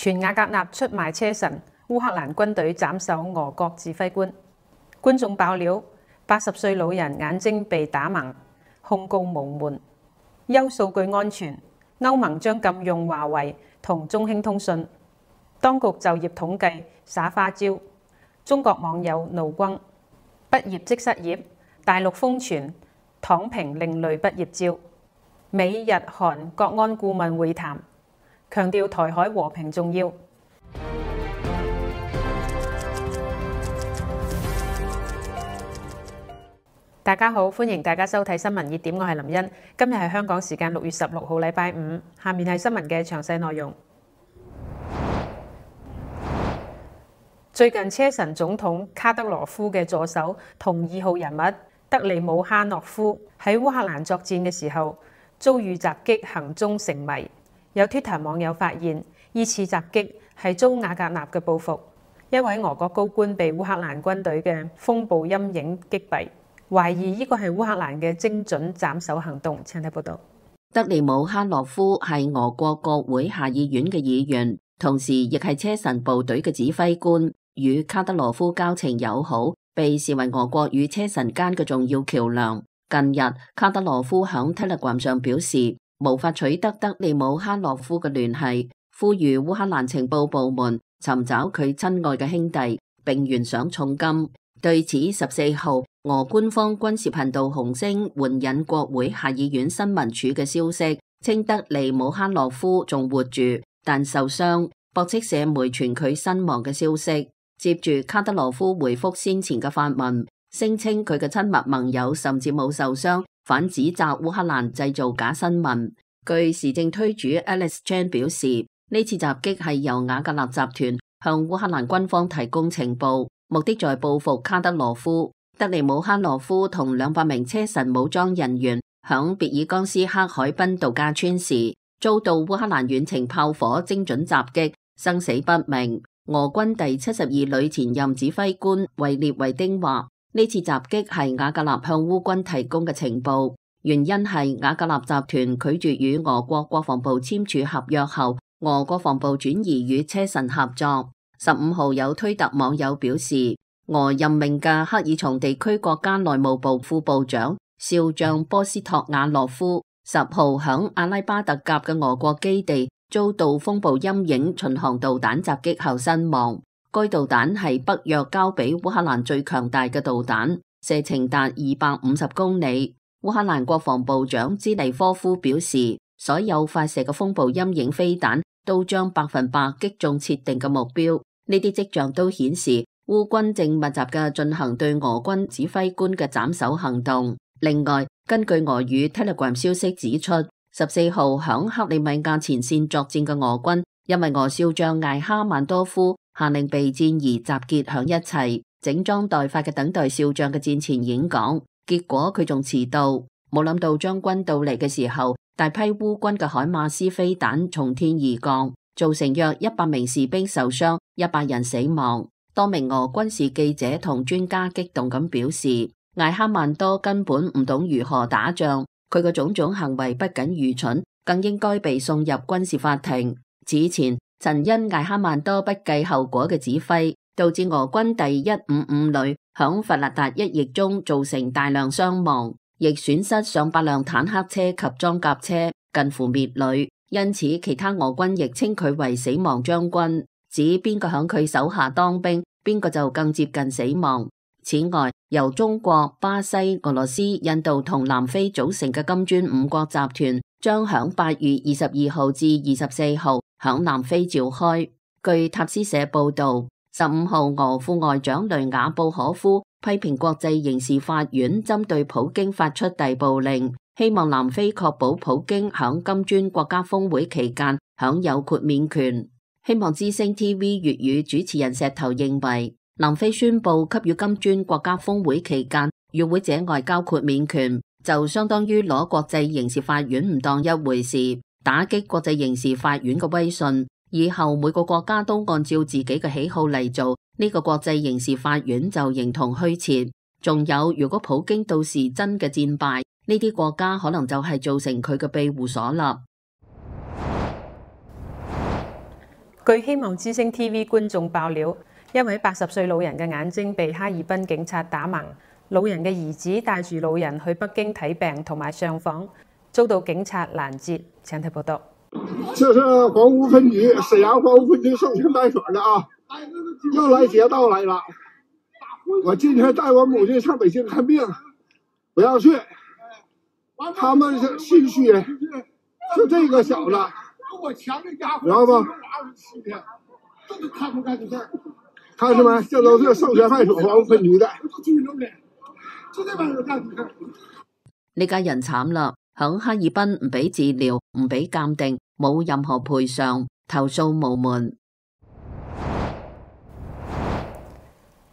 傳瓦格納出賣車臣，烏克蘭軍隊斬首俄國指揮官。觀眾爆料，80歲老人眼睛被打盲，控告無門。優數據安全，歐盟將禁用華為同中興通訊。當局就業統計耍花招，中國網友怒轟。畢業即失業，大陸瘋傳躺平另類畢業招。美日韓國安顧問會談，強調台海和平重要。大家好，歡迎大家收睇新聞熱點，我係林茵。今日係香港時間6月16號，禮拜五。下面係新聞嘅詳細內容。最近車臣總統卡德羅夫嘅助手同2號人物德利姆哈諾夫喺烏克蘭作戰嘅時候遭遇襲擊，行蹤成謎。有 Twitter 網友發現，依次襲擊係遭瓦格納嘅報復。一位俄國高官被烏克蘭軍隊嘅風暴陰影擊斃。懷疑呢個係烏克蘭嘅精準斬首行動。請睇報道。德利姆哈諾夫係俄國國會下議院嘅議員，同時亦係車臣部隊嘅指揮官，與卡德羅夫交情友好，被視為俄國與車臣間嘅重要橋樑。近日，卡德羅夫響 Telegram 上表示無法取得德利姆哈諾夫嘅聯繫，呼籲烏克蘭情報部門尋找佢親愛嘅兄弟，並懸賞重金。對此，14號俄官方軍事頻道紅星援引國會下議院新聞處嘅消息，稱德利姆哈諾夫仲活住，但受傷，駁斥社媒傳佢身亡嘅消息。接住，卡德羅夫回覆先前嘅發文，聲稱佢嘅親密盟友甚至冇受傷，反指責烏克蘭製造假新聞。據時政推主 Alex Chan 表示，呢次襲擊係由瓦格納集團向烏克蘭軍方提供情報，目的在報復卡德羅夫。德利姆哈諾夫同200名車臣武裝人員響別爾江斯克海濱度假村時，遭到烏克蘭遠程炮火精準襲擊，生死不明。俄軍第72旅前任指揮官維列維丁話，呢次襲擊係瓦格納向烏軍提供嘅情報，原因係瓦格納集團拒絕與俄國國防部簽署合約後，俄國防部轉移與車臣合作。15號有推特網友表示，俄任命嘅克爾松地區國家內務部副部長少將波斯托瓦洛夫10號響阿拉巴特甲嘅俄國基地遭到風暴陰影巡航導彈襲擊後身亡。該導彈係北約交俾烏克蘭最強大嘅導彈，射程達250公里。烏克蘭國防部長茲尼科夫表示，所有發射嘅風暴陰影飛彈都將100%擊中設定嘅目標。呢啲跡象都顯示烏軍正密集嘅進行對俄軍指揮官嘅斬首行動。另外，根據俄語 Telegram 消息指出，14號響克里米亞前線作戰嘅俄軍，因為俄少將艾哈曼多夫下令備戰而集結響一齊，整裝待發嘅等待少將嘅戰前演講，結果佢仲遲到，冇諗到將軍到嚟嘅時候，大批烏軍嘅海馬斯飛彈從天而降，造成約100名士兵受傷，100人死亡。多名俄軍事記者同專家激動咁表示，艾哈曼多根本唔懂如何打仗，佢嘅種種行為不僅愚蠢，更應該被送入軍事法庭。此前曾因艾哈曼多不計後果嘅指揮，導致俄軍第155旅響弗勒達一役中造成大量傷亡，亦損失上百輛坦克車及裝甲車，近乎滅旅。因此，其他俄軍亦稱佢為死亡將軍，指邊個響佢手下當兵，邊個就更接近死亡。此外，由中國、巴西、俄羅斯、印度同南非組成嘅金磚5國集團將響8月22號至24號響南非召開。據塔斯社報道，15號俄副外長雷雅布可夫批評國際刑事法院針對普京發出逮捕令，希望南非確保普京響金磚國家峰會期間享有豁免權。希望之聲 TV 粵語主持人石頭認為，南非宣布給予金磚國家峰會期間與會者外交豁免權，就相當於攞國際刑事法院唔當一回事，打擊國際刑事法院嘅威信。以後每個國家都按照自己嘅喜好嚟做，呢個國際刑事法院就形同虛設。仲有，如果普京到時真嘅戰敗，呢啲國家可能就係造成佢嘅庇護所啦。據希望之星 TV 觀眾爆料，一位80歲老人嘅眼睛被哈爾濱警察打盲，老人嘅兒子帶住老人去北京睇病同埋上訪，遭到警察攔截。請睇報道。這是黃屋分局瀋陽黃屋分局授權派出所的啊，又來劫道來了。我今天帶我母親上北京看病，不要去。他們是心虛，就這個小子，知道嗎？看見沒？這都是授權派出所黃屋分局的。呢家人慘啦，響哈爾濱唔俾治療，唔俾鑑定，冇任何賠償，投訴無門。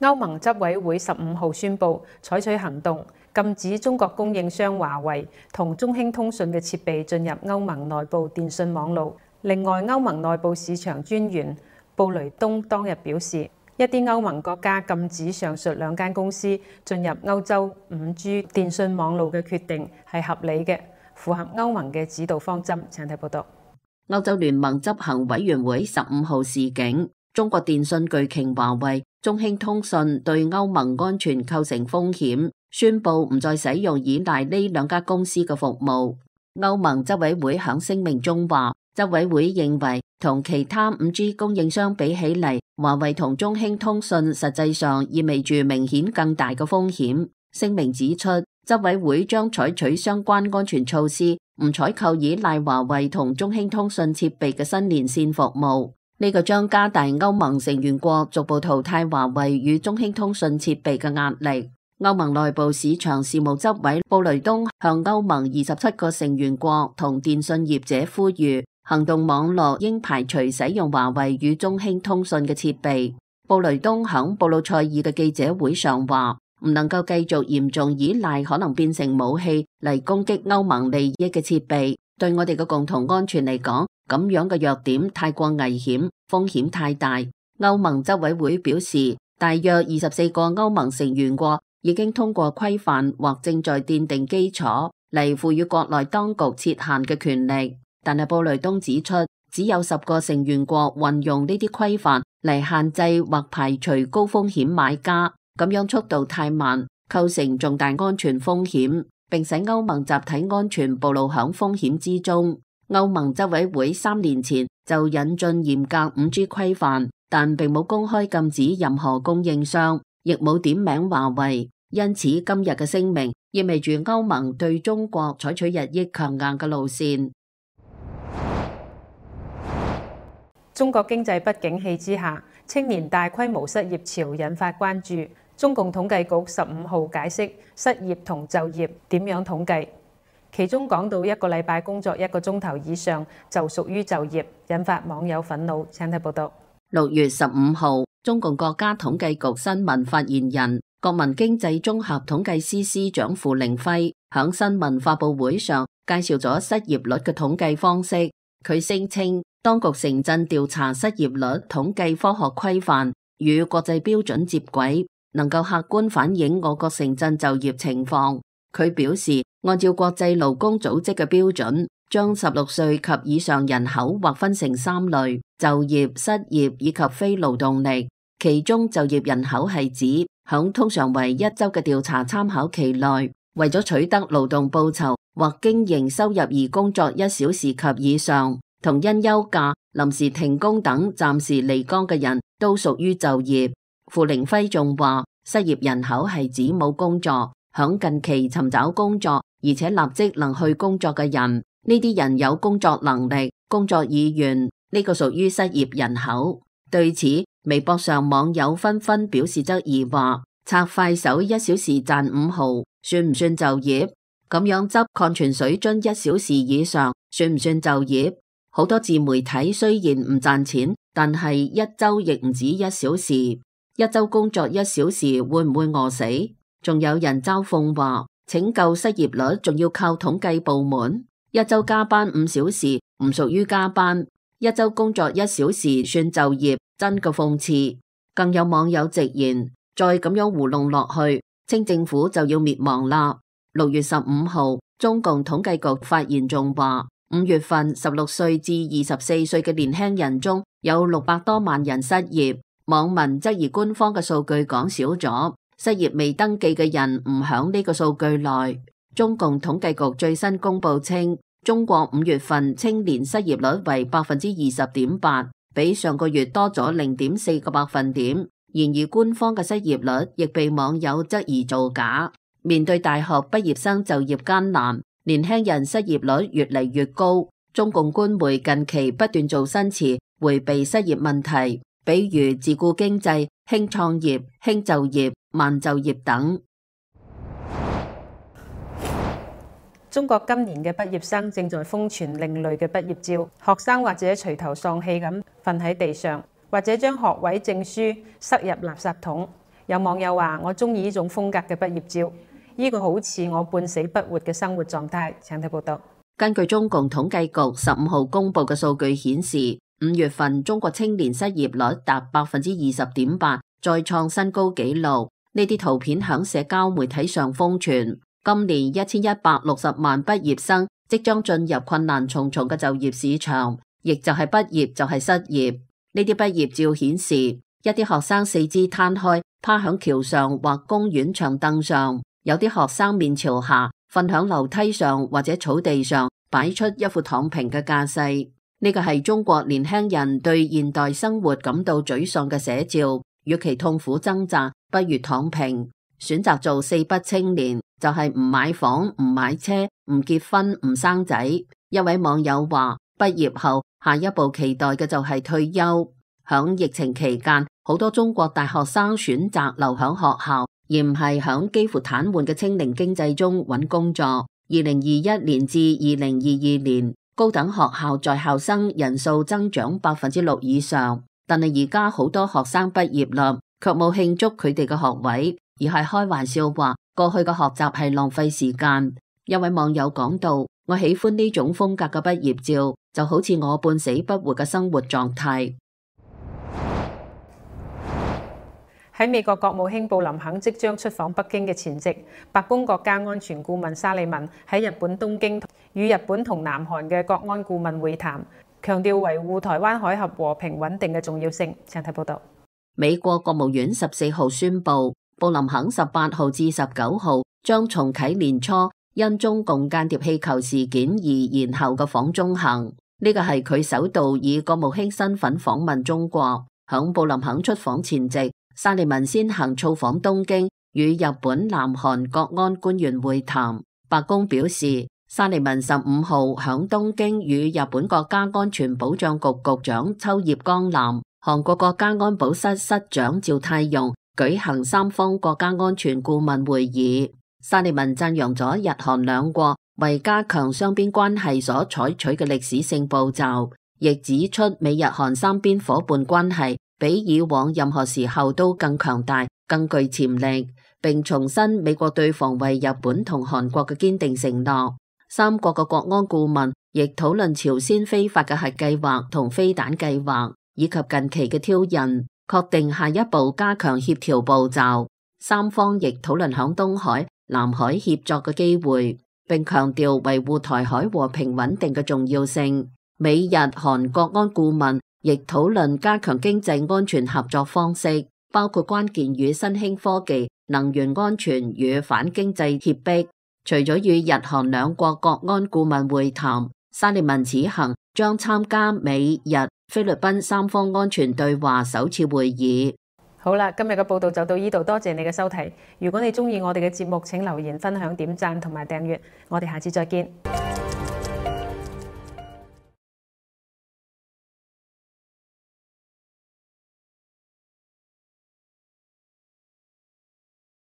歐盟執委會15號宣布採取行動，禁止中國供應商華為同中興通訊嘅設備進入歐盟內部電信網路。另外，歐盟內部市場專員布雷東當日表示，一啲歐盟國家禁止上述兩間公司進入歐洲5G 電信網路嘅決定係合理嘅，符合歐盟嘅指導方針。請睇報道。歐洲聯盟執行委員會15號示警，中國電信巨擎華為、中興通訊對歐盟安全構成風險，宣布唔再使用依賴呢兩家公司嘅服務。歐盟執委會響聲明中話，執委會認為同其他5G 供應商比起嚟，華為同中興通訊實際上意味住明顯更大嘅風險。聲明指出，執委會將採取相關安全措施，唔採購依賴華為同中興通訊設備嘅新連線服務。呢個將加大歐盟成員國逐步淘汰華為與中興通訊設備嘅壓力。歐盟內部市場事務執委布雷東向歐盟27個成員國同電信業者呼籲，行動網絡應排除使用華為與中興通訊嘅設備。布雷東響布魯塞爾嘅記者會上話，唔能夠繼續嚴重依賴可能變成武器嚟攻擊歐盟利益嘅設備，對我哋嘅共同安全嚟講，咁樣嘅弱點太過危險，風險太大。歐盟執委會表示，大約24個歐盟成員國已經通過規範或正在奠定基礎嚟賦予國內當局設限嘅權力，但係布雷東指出，只有10個成員國運用呢啲規範嚟限制或排除高風險買家，咁樣速度太慢，構成重大安全風險，並使歐盟集體安全暴露響風險之中。歐盟執委會3年前就引進嚴格5G 規範，但並冇公開禁止任何供應商，亦冇點名華為。因此今日嘅聲明意味住歐盟對中國採取日益強硬嘅路線。中國經濟不景氣之下，青年大規模失業潮引發關注。中共統計局15號解釋失業同就業點樣統計，其中講到1個禮拜工作1個鐘頭以上就屬於就業，引發網友憤怒。請睇報道。6月15號，中共國家統計局新聞發言人、國民經濟綜合統計司司長傅凌輝響新聞發佈會上介紹咗失業率嘅統計方式。佢聲稱，當局城鎮調查失業率統計科學規範與國際標準接軌，能夠客觀反映我國城鎮就業情況。佢表示，按照國際勞工組織嘅標準，將16歲及以上人口劃分成3類：就業、失業以及非勞動力。其中就業人口係指響通常為1周嘅調查參考期內，為咗取得勞動報酬或經營收入而工作1小時及以上，同因休假、臨時停工等暫時離崗嘅人都屬於就業。傅凌輝仲話，失業人口係指冇工作，響近期尋找工作，而且立即能去工作嘅人。呢啲人有工作能力、工作意願，呢個屬於失業人口。對此，微博上網友紛紛表示質疑，話刷快手1小時賺5毫，算唔算就業？咁樣執礦泉水樽1小時以上，算唔算就業？好多自媒體雖然唔賺錢，但係1周亦唔止1小時，1周工作1小時會唔會餓死？仲有人嘲諷話，拯救失業率仲要靠統計部門，1周加班5小時唔屬於加班，1周工作1小時算就業，真嘅諷刺。更有網友直言，再咁樣糊弄落去，清政府就要滅亡啦。6月15號，中共統計局發言仲話， 5月份16歲至24歲嘅年輕人中有600多萬人失業。網民質疑官方嘅數據講少咗，失業未登記嘅人唔響呢個數據內。中共統計局最新公布稱，中國5月份青年失業率為 20.8%， 比上個月多咗 0.4個百分點。然而官方嘅失業率亦被網友質疑造假。面對大學畢業生就業艱難，年輕人失業率越嚟越高，中共官媒近期不斷做新詞迴避失業問題，比如自僱經濟、輕創業、輕就業、慢就業等。中國今年嘅畢業生正在瘋傳另類嘅畢業照，學生或者垂頭喪氣咁瞓喺地上，或者將學位證書塞入垃圾桶。有網友話：我中意呢種風格嘅畢業照，呢個好似我半死不活嘅生活狀態。請睇報道。根據中共統計局15號公布嘅數據顯示，5月份中國青年失業率達 20.8%， 再創新高紀錄。呢啲圖片響社交媒體上瘋傳。今年1160萬畢業生即將進入困難重重嘅就業市場，亦就係畢業就係失業。呢啲畢業照顯示，一啲學生四肢攤開，趴響橋上或公園長凳上；有啲學生面朝下，瞓響樓梯上或者草地上，擺出一副躺平嘅架勢。呢個係中國年輕人對現代生活感到沮喪嘅寫照。與其痛苦掙扎，不如躺平。選擇做四不青年，就係唔買房、唔買車、唔結婚、唔生仔。一位網友話：畢業後下一步期待嘅就係退休。響疫情期間，好多中國大學生選擇留響學校，而唔係響幾乎癱瘓嘅清零經濟中揾工作。2021年至2022年，高等學校在校生人數增長 6% 以上，但係而家好多學生畢業啦，卻冇慶祝佢哋嘅學位，而係開玩笑話過去嘅學習係浪費時間。一位網友講到：我喜歡呢種風格嘅畢業照，就好似我半死不活嘅生活狀態。喺美國國務卿布林肯即將出訪北京嘅前夕，白宮國家安全顧問沙利文喺日本東京與日本同南韓嘅國安顧問會談，強調維護台灣海峽和平穩定嘅重要性。請睇報道。美國國務院14號宣布，布林肯18號至19號將重啟年初因中共間諜氣球事件而延後嘅訪中行。呢個係佢首度以國務卿身份訪問中國。響布林肯出訪前夕，沙利文先行造訪東京，與日本、南韓國安官員會談。白宮表示，沙利文15號響東京與日本國家安全保障局局長秋葉剛男、韓國國家安保室室長趙泰容舉行三方國家安全顧問會議。沙利文讚揚咗日韓兩國為加強雙邊關係所採取嘅歷史性步驟，亦指出美日韓三邊夥伴關係比以往任何時候都更強大、更具潛力，並重申美國對防衛日本同韓國嘅堅定承諾。三國嘅國安顧問亦討論朝鮮非法嘅核計劃同飛彈計劃，以及近期嘅挑釁，確定下一步加強協調步驟。三方亦討論響東海、南海協作嘅機會，並強調維護台海和平穩定嘅重要性。美日韓國安顧問亦討論加強經濟安全合作方式，包括關鍵與新興科技、能源安全與反經濟脅迫。除咗與日韓兩國國安顧問會談，沙利文此行將參加美日菲律賓三方安全對話首次會議。好啦，今日嘅報道就到呢度，多謝你嘅收睇。如果你鍾意我哋嘅節目，請留言、分享、點讚同埋訂閱。我哋下次再見。